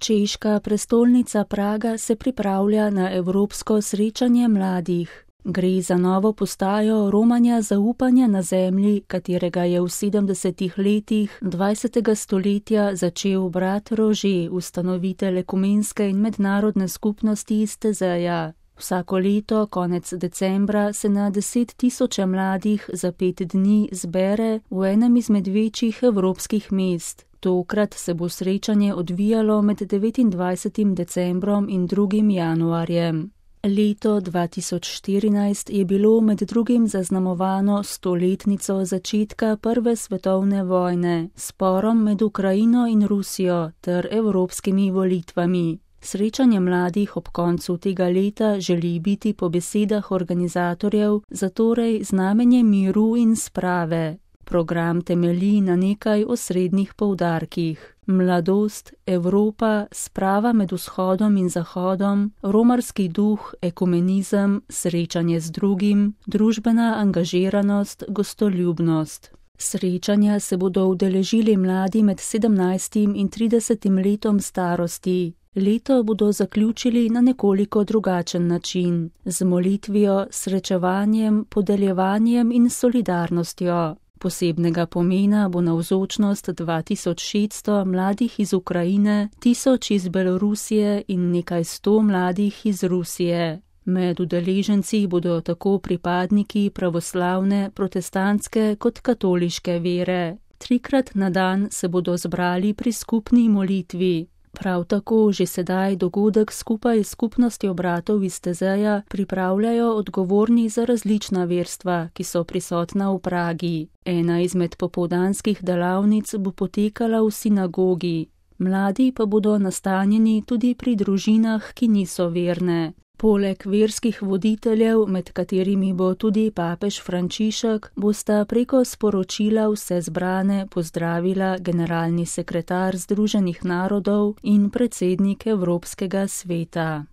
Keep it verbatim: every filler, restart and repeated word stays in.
Češka prestolnica Praga se pripravlja na evropsko srečanje mladih. Gre za novo postajo romanja zaupanja na zemlji, katerega je v sedemdesetih letih dvajsetega stoletja začel brat Rože, ustanovitelj ekumenske in mednarodne skupnosti iz Tezeja. Vsako leto, konec decembra, se na deset tisoče mladih za pet dni zbere v enem izmed večjih evropskih mest. Tokrat se bo srečanje odvijalo med devetindvajsetim decembrom in drugim januarjem. Leto dva tisoč štirinajst je bilo med drugim zaznamovano stoletnico začetka Prve svetovne vojne, sporom med Ukrajino in Rusijo ter evropskimi volitvami. Srečanje mladih ob koncu tega leta želi biti po besedah organizatorjev zatorej znamenje miru in sprave. Program temelji na nekaj osrednjih poudarkih: mladost, Evropa, sprava med vzhodom in zahodom, romarski duh, ekumenizem, srečanje z drugim, družbena angažiranost, gostoljubnost. Srečanja se bodo udeležili mladi med sedemnajstim in tridesetim letom starosti. Leto bodo zaključili na nekoliko drugačen način, z molitvijo, srečevanjem, podeljevanjem in solidarnostjo. Posebnega pomena bo navzočnost dva tisoč šeststo mladih iz Ukrajine, tisoč iz Belorusije in nekaj sto mladih iz Rusije. Med udeleženci bodo tako pripadniki pravoslavne, protestantske kot katoliške vere. Trikrat na dan se bodo zbrali pri skupni molitvi. Prav tako že sedaj dogodek skupaj s skupnostjo bratov iz Tezeja pripravljajo odgovorni za različna verstva, ki so prisotna v Pragi. Ena izmed popoldanskih delavnic bo potekala v sinagogi. Mladi pa bodo nastanjeni tudi pri družinah, ki niso verne. Poleg verskih voditeljev, med katerimi bo tudi papež Frančišek, bosta preko sporočila vse zbrane pozdravila generalni sekretar Združenih narodov in predsednik Evropskega sveta.